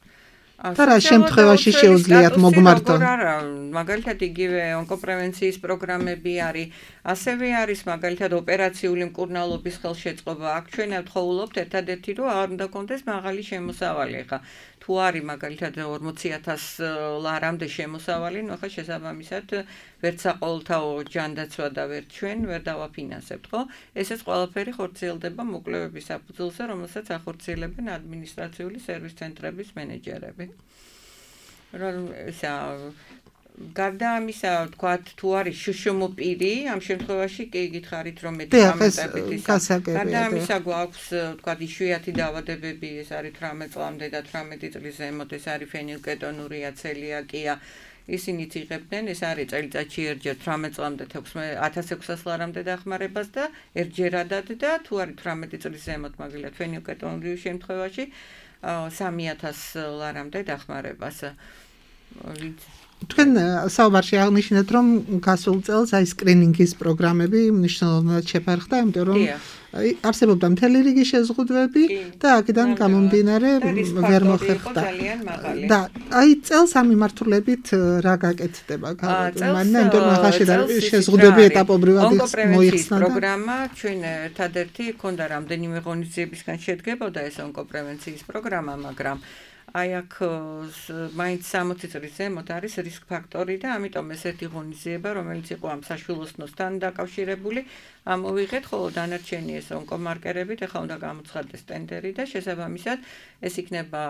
და რა შემთხვევაში შეუძლიათ მოგმართონ? არა, მაგალითად იგივე ონკოპრევენციის პროგრამები არის, ასევე არის მაგალითად ოპერაციული მკურნალობის ხელშეწყობა. აქ ჩვენ ვთხოვულობთ ერთადერთი რომ არ უნდა კონდეს მაღალი შემოსავალი. ხა თუ არის მაგალითად 40000 ლარამდე შემოსავალი, ნუ ხა შესაბამისად ვერც საყოველთაო ჯანდაცვა და ვერც ჩვენ ვერ დავაფინანსებთ, ხო? ესეც ყველაფერი ხორციელდება მოკლებების საფუძველზე, რომელსაც ახორციელებენ ადმინისტრაციული სერვის ცენტრების მენეჯერები. გარდა ამისა, თქვათ, თუ არის შშმ პირი, ამ შემთხვევაში კი გითხარით, რომ მედიკამენტებით ისა. გარდა ამისა, გვაქვს, თქვათ, იშვიათი დაავადებები, ეს არის 18 წლამდე და 18 წლის ზემოთ, ეს არის ფენილკეტონურია, ცელიაკია. ისინიც იღებდნენ, ეს არის წელიწადში ერთჯერ 18 წლამდე 1600 ლარამდე დახმარებას და ერთჯერადად და თუ არის 18 წლის ზემოთ, მაგალითად, ფენილკეტონურიის შემთხვევაში 3000 ლარამდე დახმარებას. თქვენ საუბარში აღნიშნეთ, რომ გასულ წელს აი სკრინინგის პროგრამები მნიშვნელოვნად შეფერხდა, იმიტომ რომ არსებობდა მთელი რიგი შეზღუდვები და აქედან გამომდინარე ვერ მოხერხდა. და აი წელს ამ მიმართულებით რა გაკეთდება განმანდა, იმიტომ რომ ახლა შეზღუდვები ეტაპობრივად მოიხსნა და პროგრამა ჩვენ ერთადერთი ქონდა რამდენიმე ღონისძიებისგან შედგებოდა ეს ონკოპრევენციის პროგრამა, მაგრამ აი აქ მაინც 60 წლის ზემოთ არის რისკ ფაქტორი და ამიტომ ეს ერთი ღონისძიება, რომელიც იყო ამ საშვილოსნოსთან დაკავშირებული, ამოვიღეთ, ხოლო დანარჩენი ეს ონკომარკერებით, ახლა უნდა გამოცხადდეს ტენდერი და შესაბამისად ეს იქნება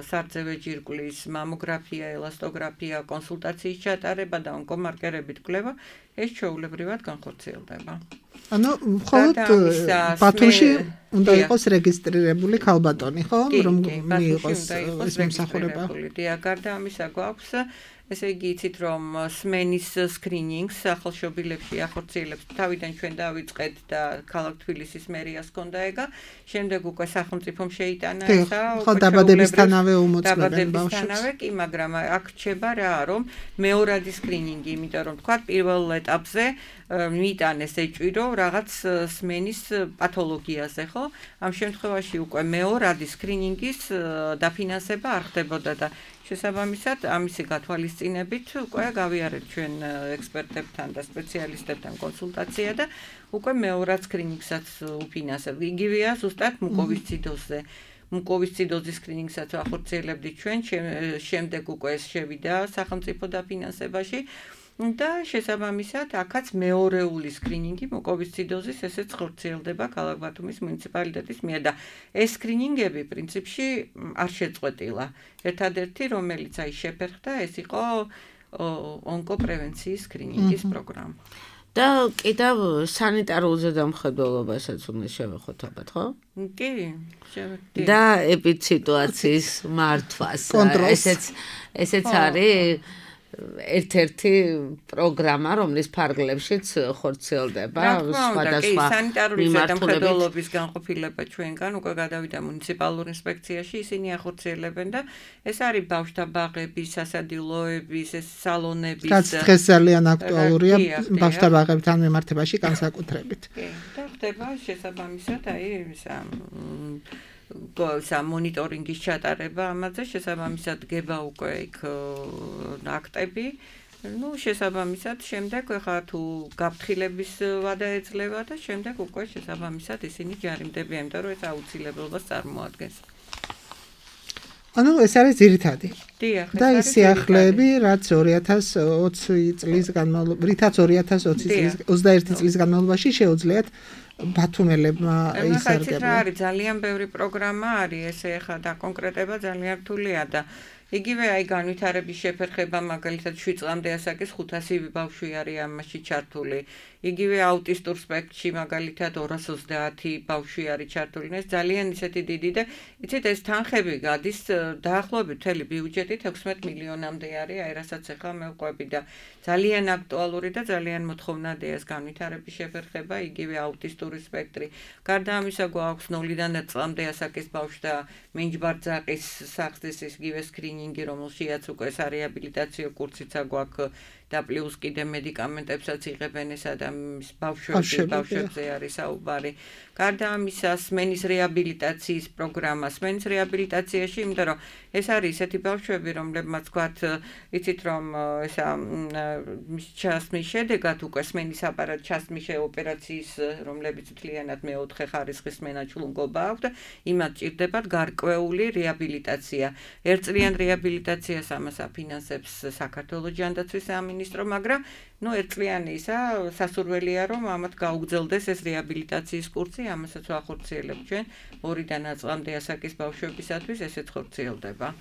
სარძევე ჯირკვლის მამოგრაფია, ელასტოგრაფია, კონსულტაციის ჩატარება და ონკომარკერებით კვლევა, ეს ჩვეულებრივად განხორციელდება. ანუ მხოლოდ ბათუმში უნდა იყოს რეგისტრირებული ქალბატონი, ხო? რომ მიიღოს ეს მომსახურება. გარდა ამისა გვაქვს ესე იგი იცით რომ სმენის სკრინინგს ახალშობილებში ახორციელებს თავიდან ჩვენ დავიწყეთ და ქალაქ თბილისის მერიას ჰქონდა ეგა შემდეგ უკვე სახელმწიფომ შეიტანა ესა ხო დაბადებისთანავე უმოწმებენ ბავშვებს დაბადებისთანავე კი მაგრამ აქ რჩება რა რომ მეორადი სკრინინგი იმიტომ რომ თქვა პირველ ეტაპზე მიიტანეს ეჭვირო რაღაც სმენის პათოლოგიაზე ხო ამ შემთხვევაში უკვე მეორადი სკრინინგის დაფინანსება არ ხდებოდა და შესაბამისად ამისი გათვალისწინებით უკვე გავიარეთ ჩვენ ექსპერტებთან და სპეციალისტებთან კონსულტაცია და უკვე მეორად სკრინინგსაც უფინანსებთ. იგივეა ზუსტად მუკოვისციდოზზე. მუკოვისციდოზის სკრინინგსაც ახორციელებდით ჩვენ, შემდეგ უკვე ეს შევიდა სახელმწიფო დაფინანსებაში. და შესაბამისად აქაც მეორეული სკრინინგი მუკოვისციდოზის ესეც ხორციელდება ქალაქ ბათუმის მუნიციპალიტეტის მიერ და ეს სკრინინგები პრინციპში არ შეწყვეტილა. ერთადერთი რომელიც აი შეფერხდა ეს იყო ონკოპრევენციის სკრინინგის პროგრამა. და კიდევ სანიტარულ ზედამხედველობასაც უნდა შევეხოთ ალბათ, ხო? კი, შევეხეთ. და ეპიდსიტუაციის მართვას. ესეც არის ერთ-ერთი პროგრამა, რომლის ფარგლებშიც ხორციელდება სხვადასხვა სანიტარული ზედამხედველობის განყოფილება ჩვენგან უკვე გადავიდა მუნიციპალურ ინსპექციაში, ისინი ახორციელებენ და ეს არის ბავშვთა ბაღების, სასადილოების, ეს სალონების. რაც დღეს ძალიან აქტუალურია ბავშვთა ბაღებთან მიმართებაში განსაკუთრებით. კი, და ხდება შესაბამისად აი მონიტორინგის ჩატარება ამაზე შესაბამისად გება უკვე იქ აქტები ну შესაბამისად შემდეგ ხა თუ გაფრთხილების ვადა ეძლევა და შემდეგ უკვე შესაბამისად ისინი ჯარიმდებიან იმიტომ რომ ეს აუცილებლობას წარმოადგენს ანუ ეს არის ძირითადი და ის სიახლეები რაც 2020 წლის განმავლობაში 2021 წლის განმავლობაში შეუძლიათ ბათუმელებმა ისარგებლონ. არის ძალიან ბევრი პროგრამა არის ესე ხა და კონკრეტება ძალიან რთულია და იგივე აი განვითარების შეფერხება მაგალითად 7 წლამდე ასაკის 500 ბავშვი არის ამაში ჩართული. იგივე აუტისტურ სპექტრში მაგალითად 230 ბავშვი არის ჩართული. ეს ძალიან ისეთი დიდი და იცით ეს თანხები გადის დაახლოებით მთელი ბიუჯეტი 16 მილიონამდე არის, აი რასაც ახლა მევყვები და ძალიან აქტუალური და ძალიან მოთხოვნადია ეს განვითარების შეფერხება, იგივე აუტისტური სპექტრი. გარდა ამისა გვაქვს 0-დან 1 წლამდე ასაკის ბავშვთა მინჯბარძაყის სახსრის იგივე სკრინინგი, რომელშიც უკვე სარეაბილიტაციო კურსიც გვაქვს და პლუს კიდე მედიკამენტებსაც იღებენ ესა და ბავშვებზე არის საუბარი. გარდა ამისა სმენის რეაბილიტაციის პროგრამა. სმენის რეაბილიტაციაში, იმიტომ რომ ეს არის ესეთი ბავშვები, რომლებმაც თქვათ, იცით რომ ესა ჩასმის შედეგად უკვე სმენის აპარატ ჩასმის ოპერაციის, რომლებიც მთლიანად მეოთხე ხარისხის სმენა-ჭლუნგობა აქვს და იმათ ჭირდებათ გარკვეული რეაბილიტაცია. ერთწლიან რეაბილიტაციას ამას აფინანსებს საქართველოს ჯანდაცვის სამინისტრო, მაგრამ ну ერთწლიანი ისა სასურველია რომ ამათ გაუგრძელდეს ეს რეაბილიტაციის კურსი, ამასაც ვახორციელებთ ჩვენ 2-დან 9 წლამდე ასაკის ბავშვებისათვის ესეც ხორციელდება.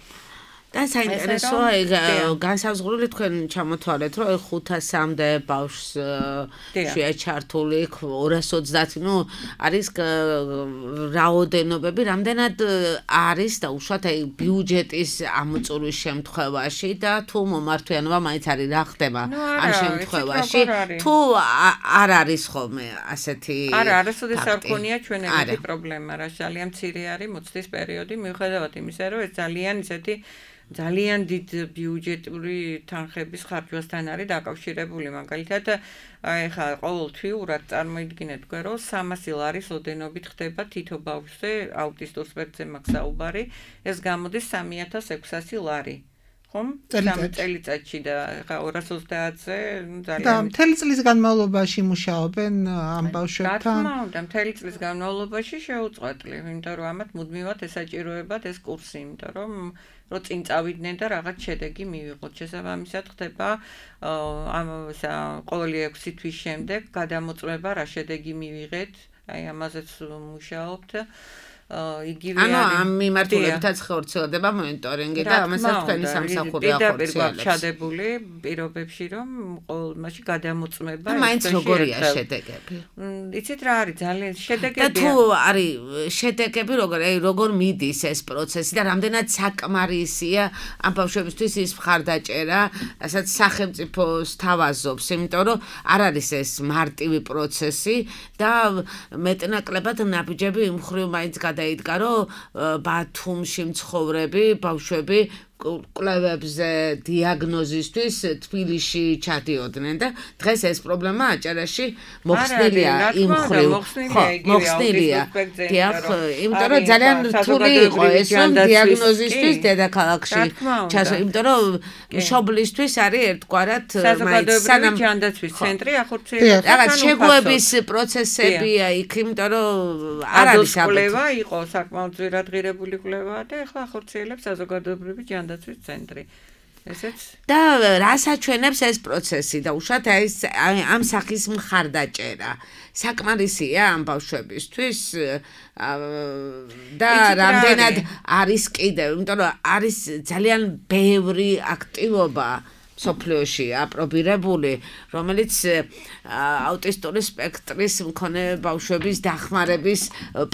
და საინტერესოა ეგ განსაზღვრული თქვენ ჩამოთვალეთ რომ 500-მდე ბავშვს შეაჩართული 230 ну არის რაოდენობები რამდენად არის და უშუალოდ აი ბიუჯეტის ამოწურვის შემთხვევაში და თუ მომართვიანობა მაინც არის რა ხდება ამ შემთხვევაში თუ არ არის ხოლმე ასეთი არა არასოდეს არ ქონია ჩვენ ეგეთი პრობლემა რა ძალიან მცირე არის მოცდის პერიოდი მიუხედავად იმისა რომ ეს ძალიან ისეთი ძალიან დიდ ბიუჯეტური თანხების ხარჯვასთან არის დაკავშირებული მაგალითად აი ხა ყოველთვიურად წარმოიდგინეთ თქვენ რომ 300 ლარის ოდენობით ხდება თითო ბავშვზე აუტისტურ სპექტრზე მაქვს საუბარი ეს გამოდის 3600 ლარი ხომ წელიწადში და ხა 230-ზე ძალიან და მთელი წლის განმავლობაში მუშაობენ ამ ბავშვებთან რა თქმა უნდა მთელი წლის განმავლობაში შეუწყვეტლი იმიტომ რომ ამათ მუდმივად ესაჭიროებათ ეს კურსი იმიტომ რომ წინ წავიდნენ და რაღაც შედეგი მივიღოთ. შესაბამისად ხდება ყოველი 6 თვის შემდეგ გადამოწმება რა შედეგი მივიღეთ. აი ამაზეც მუშაობთ. იგივე არის. ანუ ამ მიმართულებითაც ხორციელდება მონიტორინგი და ამასაც თქვენი სამსახური ახორციელებს. ჩადებული პირობებში რომ ყოველ მასში გადამოწმება და მაინც როგორია შედეგები? იცით რა არის ძალიან შედეგებია. და თუ არის შედეგები როგორ მიდის ეს პროცესი და რამდენად საკმარისია ამ ბავშვებისთვის ის მხარდაჭერა, რასაც სახელმწიფო სთავაზობს, იმიტომ რომ არ არის ეს მარტივი პროცესი და მეტნაკლებად ნაბიჯები იმ მხრივ მაინც გადაიდგა, რომ ბათუმში მცხოვრები ბავშვები კვლევებზე დიაგნოზისთვის თბილისში ჩადიოდნენ და დღეს ეს პრობლემა აჭარაში მოხსნილია იმ მხრივ. მოხსნილია. დიახ, იმიტომ რომ ძალიან რთული იყო ეს რომ დიაგნოზისთვის დედაქალაქში ჩასო, იმიტომ რომ მშობლისთვის არის ერთგვარად მაინც სანამ ჯანდაცვის ცენტრი ახორციელებს. რაღაც შეგუების პროცესებია იქ, იმიტომ რომ არ არის კვლევა იყო საკმაოდ ძვირადღირებული კვლევა და ახლა ახორციელებს საზოგადოებრივი ჯანდაცვის ცენტრი. ესეც და რას აჩვენებს ეს პროცესი და უშუალოდ ამ სახის მხარდაჭერა საკმარისია ამ ბავშვებისთვის და რამდენად არის კიდევ, იმიტომ რომ არის ძალიან ბევრი აქტივობა სოფლიოში აპრობირებული, რომელიც აუტისტური სპექტრის მქონე ბავშვების დახმარების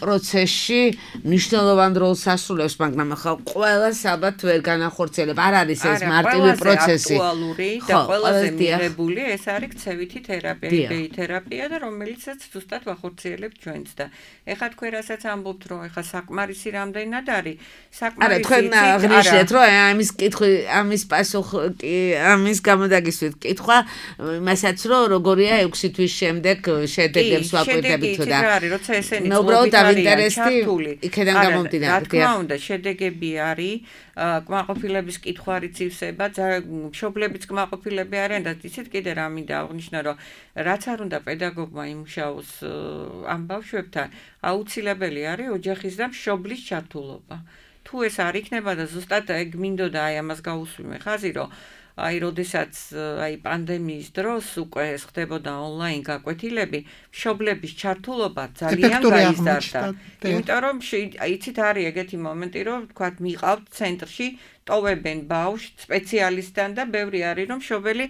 პროცესში მნიშვნელოვან როლს ასრულებს, მაგრამ ახლა ყველას ალბათ ვერ განახორციელებ. არ არის ეს მარტივი პროცესი. აქტუალური და ყველაზე მიღებული ეს არის ქცევითი თერაპია, იბეი თერაპია და რომელიცაც ზუსტად ვახორციელებთ ჩვენც და ეხლა თქვენ რასაც ამბობთ, რომ ეხლა საკმარისი რამდენად არის, არა, თქვენ აღნიშნეთ, რომ ამის კითხვი, ამის პასუხი ამის გამოდაგისვით კითხვა იმასაც რომ როგორია 6 თვის შემდეგ შედეგებს ვაკვირდებით თუ და როცა ესენი უბრალოდ დაინტერესდი იქიდან გამომდინარე. რა თქმა უნდა შედეგები არის კმაყოფილების კითხვარიც ივსება, მშობლებიც კმაყოფილები არიან და იცით კიდე რა მინდა აღნიშნო რომ რაც არ უნდა პედაგოგმა იმუშაოს ამ ბავშვებთან აუცილებელი არის ოჯახის და მშობლის ჩართულობა. თუ ეს არ იქნება და ზუსტად ეგ მინდოდა აი ამას გაუსვიმე ხაზი რომ აი როდესაც აი პანდემიის დროს უკვე ეს ხდებოდა ონლაინ გაკვეთილები, მშობლების ჩართულობა ძალიან გაიზარდა. იმიტომ რომ იცით არის ეგეთი მომენტი, რომ თქვათ მიყავთ ცენტრში, ტოვებენ ბავშვს სპეციალისტთან და ბევრი არის რომ მშობელი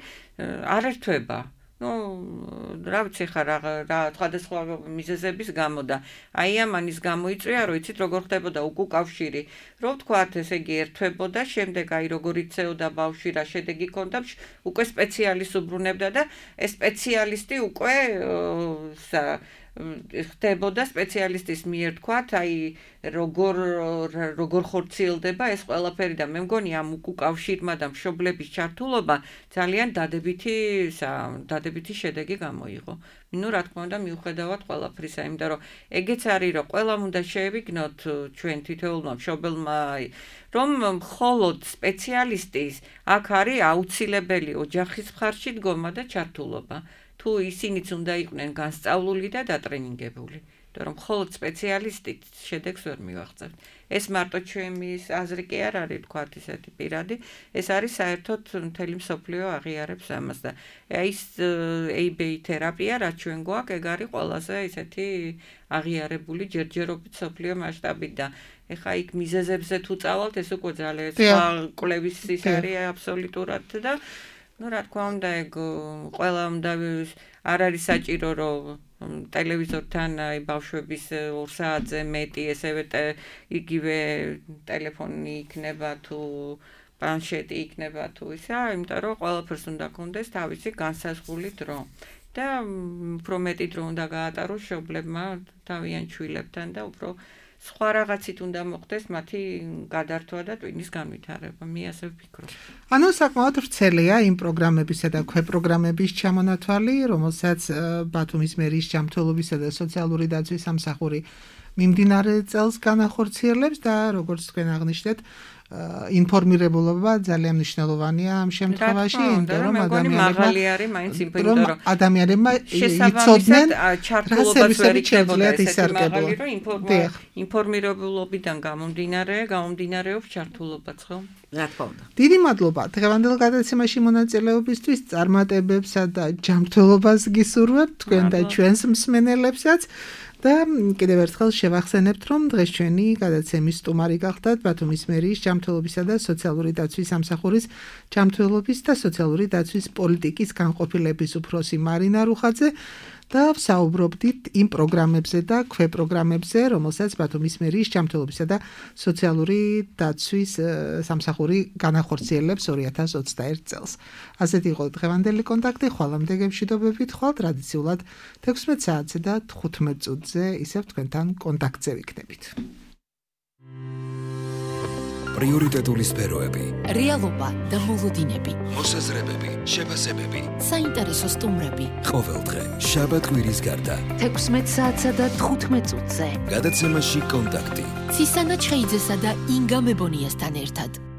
არ ერთვება. რა ვიცი ხარ რა სხვადასხვა მიზეზების გამო და აი ამანის გამო იწვია რომ იცით როგორ ხდებოდა უკავშირი რომ თქვათ ესე იგი ერთვებოდა შემდეგ აი როგორ იწეოდა ბავშვი რა შედეგი ჰქონდა უკვე სპეციალისტს უბრუნებდა და ეს სპეციალისტი უკვე ხდებოდა სპეციალისტის მიერ თქვათ აი როგორ ხორციელდება ეს ყველაფერი და მე მგონი ამ უკავშირმა და მშობლების ჩართულობა ძალიან დადებითი შედეგი გამოიღო. ნუ რა თქმა უნდა მიუხედავად ყველაფრისა, იმიტომ რომ ეგეც არის რომ ყველამ უნდა შეევიგნოთ ჩვენ თითოეულმა მშობელმა რომ მხოლოდ სპეციალისტის აქ არის აუცილებელი ოჯახის მხარში დგომა და ჩართულობა. თუ ისინიც უნდა იყვნენ განსწავლული და დატრენინგებული, იმიტომ რომ მხოლოდ სპეციალისტით შედეგს ვერ მივაღწევთ. ეს მარტო ჩემის აზრი კი არ არის, თქვათ ისეთი პირადი, ეს არის საერთოდ მთელი მსოფლიო აღიარებს ამას და ის ABA თერაპია, რაც ჩვენ გვაქვს, ეგ არის ყველაზე ისეთი აღიარებული ჯერჯერობით მსოფლიო მასშტაბით და ეხა იქ მიზეზებზე თუ წავალთ, ეს უკვე ძალიან სხვა კვლევის ის არის აბსოლუტურად და ну რა თქმა უნდა ეგ ყველა უნდა არ არის საჭირო რომ ტელევიზორთან აი ბავშვების 2 საათზე მეტი ესევე იგივე ტელეფონი იქნება თუ პლანშეტი იქნება თუ ისა, იმიტომ რომ ყველაფერს უნდა გქონდეს თავისი განსაზღვრული დრო და უფრო მეტი დრო უნდა გაატაროს მშობლებმა თავიანთ შვილებთან და უფრო სხვა რაღაცით უნდა მოხდეს მათი გადართვა და ტვინის განვითარება. მე ასე ვფიქრობ. ანუ საკმაოდ ვრცელია იმ პროგრამებისა და ქვეპროგრამების ჩამონათვალი, რომელსაც ბათუმის მერის ჯანმრთელობისა და სოციალური დაცვის სამსახური მიმდინარე წელს განახორციელებს და როგორც თქვენ აღნიშნეთ, ინფორმირებულობა ძალიან მნიშვნელოვანია ამ შემთხვევაში, იმიტომ რომ ადამიანებმა იცოდნენ ჩართულობას ვერ იქნებოდა ესეთი მაღალი, რომ ინფორმირებულობიდან გამომდინარეობს ჩართულობაც, ხო? რა თქმა უნდა. დიდი მადლობა დღევანდელ გადაცემაში მონაწილეობისთვის, წარმატებებსა და ჯანმრთელობას გისურვებთ თქვენ და ჩვენს მსმენელებსაც. და კიდევ ერთხელ შევახსენებთ, რომ დღეს ჩვენი გადაცემის სტუმარი გახდათ ბათუმის მერიის ჯანმრთელობისა და სოციალური დაცვის სამსახურის ჯანმრთელობის და სოციალური დაცვის პოლიტიკის განყოფილების უფროსი მარინა რუხაძე და ვსაუბრობდით იმ პროგრამებზე და ქვეპროგრამებზე, რომელსაც ბათუმის მერიის ჯანმრთელობისა და სოციალური დაცვის სამსახური განახორციელებს 2021 წელს. ასეთი იყო დღევანდელი კონტაქტი, ხვალამდე გემშვიდობებით, ხვალ ტრადიციულად 16 საათზე და 15 წუთზე ისევ თქვენთან კონტაქტზე ვიქნებით. პრიორიტეტული სფეროები, რეალობა და მოლოდინები, მოსაზრებები, შეფასებები, საინტერესო სტუმრები. ყოველდღე, შაბათ-კვირის გარდა. 16 საათსა და 15 წუთზე. გადაცემაში კონტაქტი. ცისანა ჩხეიძესა და ინგა მებონიასთან ერთად.